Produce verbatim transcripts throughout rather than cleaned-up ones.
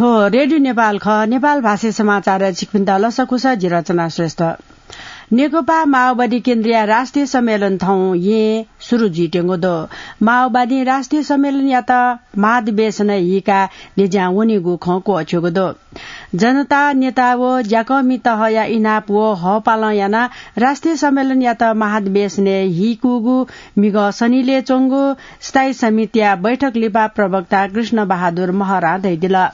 थ्व रेडियो नेपाल खः। नेपाल भाषी समाचार छिकपिन्त लसकुस, जि रचना श्रेष्ठ। नेकपा माओवादी केन्द्रीय राष्ट्रिय सम्मेलन थौं येँ सुरु जुइत्यंगु दु। माओवादीं राष्ट्रिय सम्मेलनयात महाधिवेशनय् हीकाः न्ह्यज्यां वनीगु खँ क्वःछ्यूगु दु। जनता नेता व ज्याकःमि तहया इनाप व हःपालं यानाः राष्ट्रिय सम्मेलनयात महाधिवेशनय् हीकूगु म्हिगः शनिलय् च्वंगु स्थायी समितिया बैठक लिपा प्रवक्ता कृष्ण बहादुर महरां धयादिल।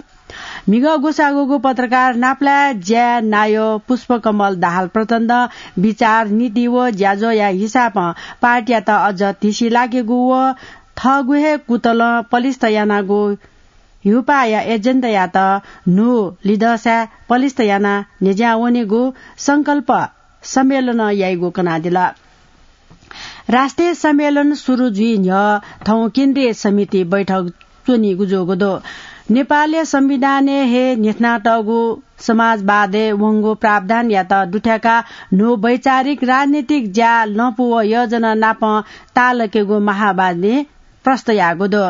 म्हिगः ग्वसाःगुगु पत्रकार नापलाये ज्याय् नायः पुष्पकमल दाहाल प्रचण्डं विचार, नीति व ज्याझ्वःया हिसाबं पार्टीयात अझ धिसि लाकेगु व थःगु हे कुतलं पलिस्त यानागु ह्युपाःया एजेन्डायात न्हू लिधःसाय् पलिस्त यानाः न्ह्यज्यां वनेगु संकल्प सम्मेलनं याइगु कनादिल। राष्ट्रिय सम्मेलन सुरु जुइ न्ह्यः थौं केन्द्रीय समिति बैठक च्वनीगु जूगु दु। नेपालया संविधानय् हे न्ह्यथनातःगु समाजवादय् वंगु प्रावधानयात दुथ्याकाः न्हू वैचारिक राजनीतिक ज्या लँपु व योजना नाप ताःलाकेगु माओवादीं प्रस्त याःगु दु।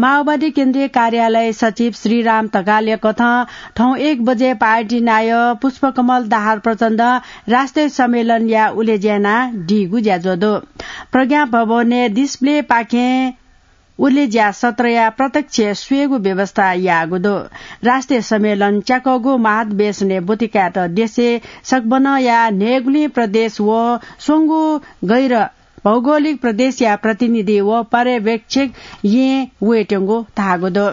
माओवादी केन्द्रीय कार्यालय सचिव श्रीराम ढकालया कथं थौं एक बजे पार्टी नायः पुष्पकमल दाहाल प्रचण्डं राष्ट्रिय सम्मेलनया उलेज्या यानादीगु ज्याझ्वः दु। प्रज्ञा भवनय् डिस्प्लेपाखें उलेज्या सत्रया प्रत्यक्ष स्वयेगु व्यवस्था याःगु दु। राष्ट्रिय सम्मेलन च्याकःगु महाधिवेशनय् ब्वति कायेत देशय् सकभनया न्हय्गुलिं प्रदेश व स्वंगू गैर भौगोलिक प्रदेशया प्रतिनिधि व पर्यवेक्षक येँ वयेत्यंगु धाःगु दु।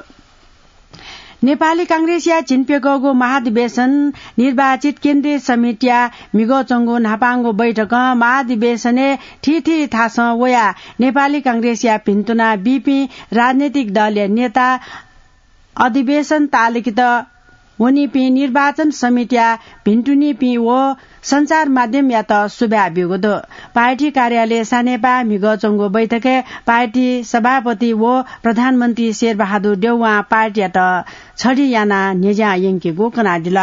नेपाली कांग्रेसया झिंप्यकःगु महाधिवेशन निर्वाचित केन्द्रीय समितिया म्हिगः च्वंगु न्हापांगु बैठकं महाधिवेशनय् थीथी थासं वयाः नेपाली कांग्रेसया भिन्तुना बीपिं राजनैतिक दलया नेता अधिवेशन ताःलाकेत वनीपिं निर्वाचन समितिया भिन्तुनीपिं व सञ्चार माध्यमयात सुभाय् ब्यूगु दु। पार्टी कार्यालय सानेपाः म्हिगः च्वंगु बैठकय् पार्टी सभापति व प्रधानमन्त्री शेरबहादुर देउवां पार्टीयात छधि यानाः न्ह्यज्यां यंकेगु कनादिल।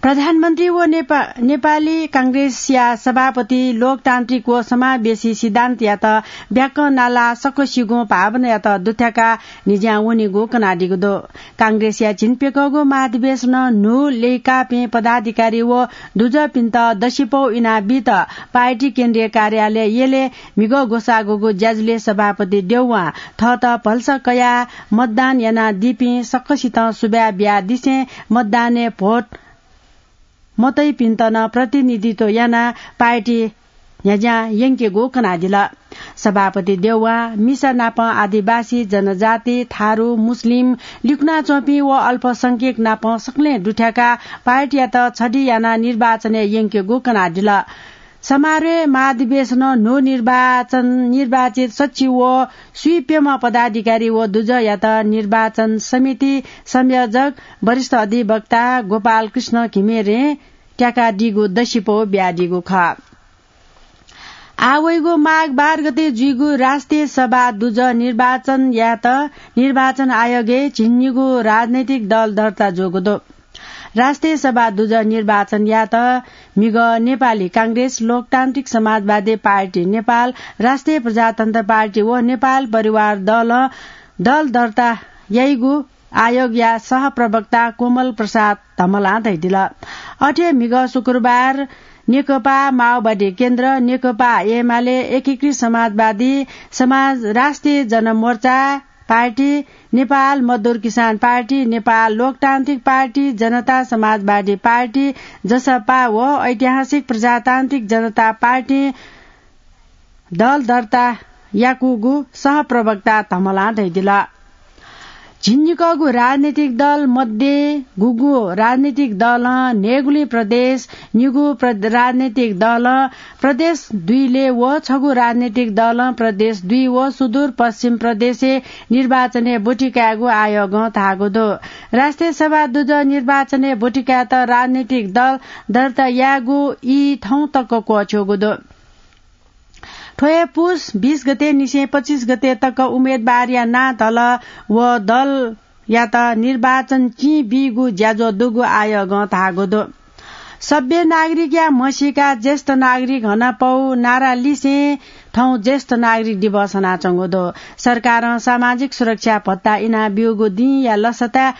प्रधानमन्त्री व नेपा-, नेपाली कांग्रेसया सभापति लोकतान्त्रिक व समावेशी सिद्धान्तयात ब्याकं नालाः सकसिगुं भावनायात दुथ्याकाः न्ह्यज्यां वनीगु कनादीगु दु। कांग्रेसया झिंप्यकःगु महाधिवेशनं न्हू ल्यय्काःपिं पदाधिकारी व दुजःपिन्त दसिपौ इनाबीत पार्टी केन्द्रीय कार्यालय यलय् म्हिगः ग्वसाःगुगु ज्याझ्वलय् सभापति देउवां थःत भलसा कयाः मतदान यानादीपिं सकसितं सुभाय् बियादिसें मतदानय् भोट मतइपिन्त नं प्रतिनिधित्व यानाः पार्टी न्ह्यज्यां यंकेगु कनादिल। सभापति देउवां मिसा नापं आदिवासी, जनजाति, थारु, मुस्लिम, लिकुनाच्वंपिं व अल्पसंख्यक नापं सकलें दुथ्याकाः पार्टीयात छधि यानाः निर्वाचनय् यंकेगु कनादिल। समारोहय् महाधिवेशनं न्हू निर्वाचन निर्वाचित सच्छि व स्वीप्यम्ह पदाधिकारी व दुजःयात निर्वाचन समिति संयोजक वरिष्ठ अधिवक्ता गोपाल कृष्ण घिमिरें त्याकादीगु दसिपौ बियादीगु खः। आः वइगु माघ बाह्र गते जुइगु राष्ट्रिय सभा दुजः निर्वाचन यायेत निर्वाचन आयोगय् झिंनिगू राजनैतिक दल दर्ता जूगु दु। राष्ट्रिय सभा दुजः निर्वाचन यायेत म्हिगः नेपाली कांग्रेस, लोकतान्त्रिक समाजवादी पार्टी नेपाल, राष्ट्रिय प्रजातन्त्र पार्टी व नेपाल परिवार दलं दल दर्ता याइगु आयोगया सहप्रवक्ता कोमल प्रसाद धमलां धयादिल। अथे म्हिगः शुक्रबार नेकपा माओवादी केन्द्र, नेकपा एमाले, एकीकृत समाजवादी समाज, राष्ट्रिय जनमोर्चा पार्टी, नेपाल मजदुर किसान पार्टी, नेपाल लोकतान्त्रिक पार्टी, जनता समाजवादी पार्टी, जसपा व ऐतिहासिक प्रजातान्त्रिक जनता पार्टी दल दर्ता याकूगु सहप्रवक्ता धमलां धयादिल। झिंनिकःगु राजनीतिक दल मध्ये गुगु राजनीतिक दलं न्हय्गुलिं प्रदेश, निगू प्र-, राजनीतिक दलं प्रदेश दुईलय् व छगू राजनीतिक दलं प्रदेश दुई व सुदूर पश्चिम प्रदेशय् निर्वाचनय् ब्वति कायेगु आयोगं धाःगु दु। राष्ट्रिय सभा दुजः निर्वाचनय् ब्वति कायेत राजनीतिक दल दर्ता यायेगु ई थौं तक क्वःछ्यूगु दु। थ्व हे पुस बीस गते निसें पच्चिस गते तक उम्मेदवारया नां धल व दलयात निर्वाचन चिं बीगु ज्याझ्वः दुगु आयोगं धाःगु दु। सभ्य नागरिकया म्हसीका ज्येष्ठ नागरिक हनापौ नारा लिसें थौं ज्येष्ठ नागरिक दिवस हनाच्वंगु दु। सरकारं सामाजिक सुरक्षा भत्ता इना ब्यूगु दिंया लसताय्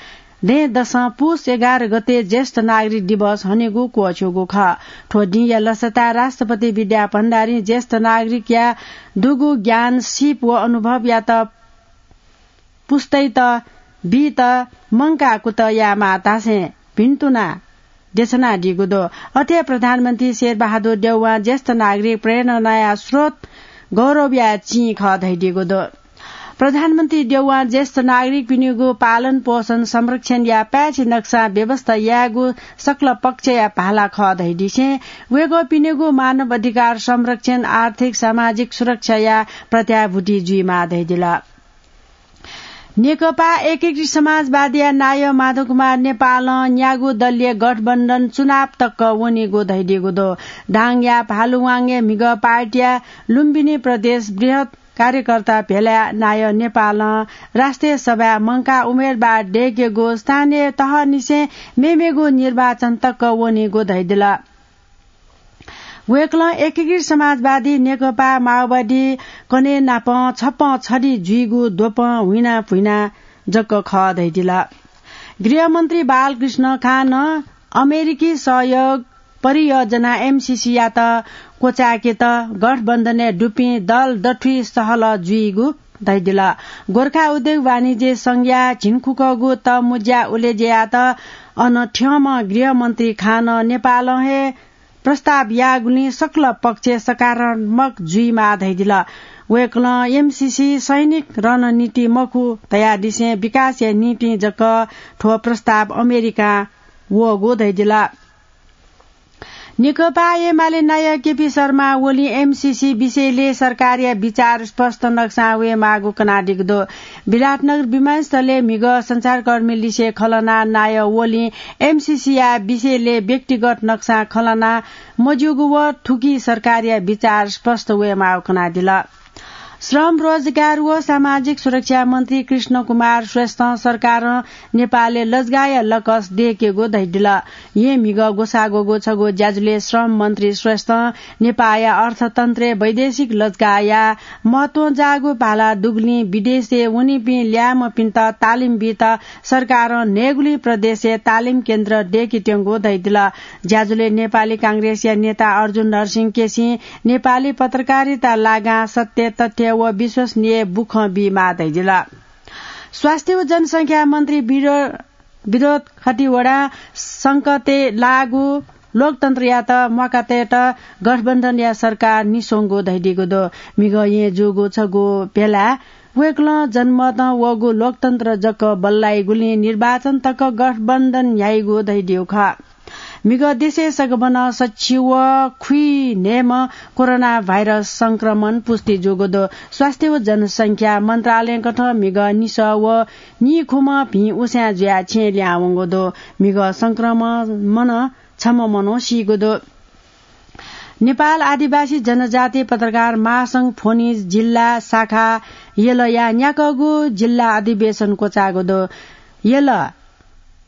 दँय्‌दसं पुस एघार गते ज्येष्ठ नागरिक दिवस हनेगु क्वःछ्यूगु खः। थ्व दिंया लसताय् राष्ट्रपति विद्या भण्डारीं ज्येष्ठ नागरिकया दुगु ज्ञान, सिप व अनुभवयात पुस्तायात बीत मंकाः कुतः यायेमाः धासें भिन्तुना देछानादीगु दु। अथे प्रधानमन्त्री शेरबहादुर देउवां ज्येष्ठ नागरिक प्रेरणाया स्रोत, गौरवया चिं खः धयादीगु दु। प्रधानमन्त्री देउवां ज्येष्ठ नागरिकपिनिगु पालन पोषण, संरक्षणया पाय्छि नक्सां व्यवस्था यायेगु सकल पक्षया भाला खः धयादिसें वय्‌कःपिनिगु मानव अधिकार संरक्षण, आर्थिक सामाजिक सुरक्षाया प्रत्याभूति जुइमाः धयादिल। नेकपा एकीकृत समाजवादीया नायः माधव कुमार नेपालं न्यागू दलीय गठबन्धन चुनाव तक वनीगु धयादीगु दु। दाङया भालुवाङय् म्हिगः पार्टीया लुम्बिनी प्रदेश बृहत् कार्यकर्ता भेलाय् नायः नेपालं राष्ट्रिय सभाय् मंकाः उम्मेदवार दय्‌केगु, स्थानीय तहनिसें मेमेगु निर्वाचन तक वनीगु धयादिल। वय्‌कलं एकीकृत समाजवादी नेकपा माओवादी कन्हय् नाप छप्पँ छधि जुइगु द्वपं हुइना भुइना जक खः धयादिल। गृहमन्त्री बालकृष्ण खानं अमेरिकी सहयोग परियोजना एमसीसीयात क्वचाय्‌केत गठबन्धनय् दुपिं दल दथुइ सहलह जुइगु धयादिल। गोर्खा उद्योग वाणिज्य संघया झिंखुकःगु तःमुँज्या उलेज्यायात अन थ्यंम्ह गृहमन्त्री खानं नेपालं हे प्रस्ताव याःगुलिं सकल पक्ष सकारात्मक जुइमाः धयादिल। वय्‌कलं एमसीसी सैनिक रणनीति मखु धयादिसें विकासया निंतिं जक थ्व प्रस्ताव अमेरिकां वःगु धयादिल। नेकपा एमाले नायः केपी शर्मा ओलीं एमसीसी विषयलय् सरकारया विचार स्पष्ट नक्सां वयेमाःगु कनादीगु दु। विराटनगर विमानस्थलय् म्हिगः सञ्चारकर्मीलिसे खँ ल्हानाः नायः ओलीं एमसीसीया विषयलय् व्यक्तिगत नक्सां खँ ल्हाना मज्यूगु व थुकी सरकारया विचार स्पष्ट वयेमाःगु कनादिल। श्रम, रोजगार व सामाजिक सुरक्षा मन्त्री कृष्ण कुमार श्रेष्ठं सरकारं नेपालय् लजगाःया लकस दय्‌केगु धयादिल। येँ म्हिगः ग्वसाः ग्वःगु छगू ज्याझ्वलय् श्रम मन्त्री श्रेष्ठं नेपाःया अर्थतन्त्रय् वैदेशिक लजगाःया महत्वं जाःगु भाला दुगुलिं विदेशय् वनीपिं ल्याय्म्हपिन्त तालिम बीत सरकारं न्हय्‌गुलिं प्रदेशय् तालिम केन्द्र दय्‌केत्यंगु धयादिल। ज्याझ्वलय् नेपाली कांग्रेसया नेता अर्जुन नरसिंह केसीं नेपाली पत्रकारिता लागां सत्य तथ्य व विश्वसनीय बुखँ बीमाः धयादिल। स्वास्थ्य व जनसंख्या मन्त्री विरो-, विनोद खतिवडां संकटय् लाःगु लोकतन्त्रयात म्वाकातयेत गठबन्धनया सरकार निस्वंगु धयादीगु दु। म्हिगः येँ जूगु छगू भेलाय् वय्‌कलं जनमतं वःगु लोकतन्त्र जक बल्लाइगुलिं निर्वाचन तक गठबन्धन न्ह्याइगु धयादीगु खः। म्हिगः देशय् संक्रमणं सछि व खुइन्हय्‌म्ह कोरोना भाइरस संक्रमण पुष्टि जूगु दु। स्वास्थ्य व जनसंख्या मन्त्रालयकथं म्हिगः निसः व नीखुम्ह भिं उसाँय् जुयाः छेँय् लिहां वंगु दु। म्हिगः संक्रमणं छम्ह मनू सीगु दु। नेपाल आदिवासी जनजाति पत्रकार महासंघ फोनी जिल्ला शाखा यलया न्याकःगु जिल्ला अधिवेशन क्वचाःगु दु। यल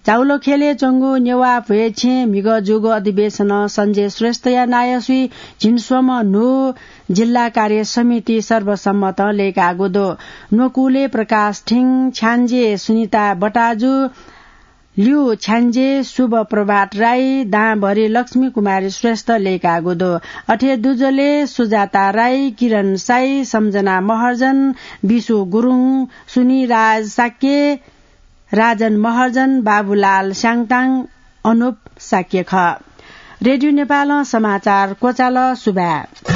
जाउलोखेलय् च्वंगु नेवाः भ्वय् छेँय् म्हिगः जूगु अधिवेशनं सञ्जय श्रेष्ठया नायःसुइ झिंस्वम्ह न्हू जिल्ला कार्य समिति सर्वसम्मतं लय्‌काःगु दु। न्वकुलय् प्रकाश ठिङ, छ्याञ्जे सुनिता बटाजु, ल्यू छ्याञ्जे, शुभ प्रभात राई, दांभरि लक्ष्मी कुमारी श्रेष्ठ लय्‌काःगु दु। अथे दुजलय् सुजाता राई, किरण साई, सम्झना महर्जन, बिशु गुरुङ, सुनिराज शाक्य, राजन महर्जन, बाबुलाल स्याङताङ, अनुप शाक्य खः। रेडियो नेपालं समाचार क्वचाल। सुभाय्।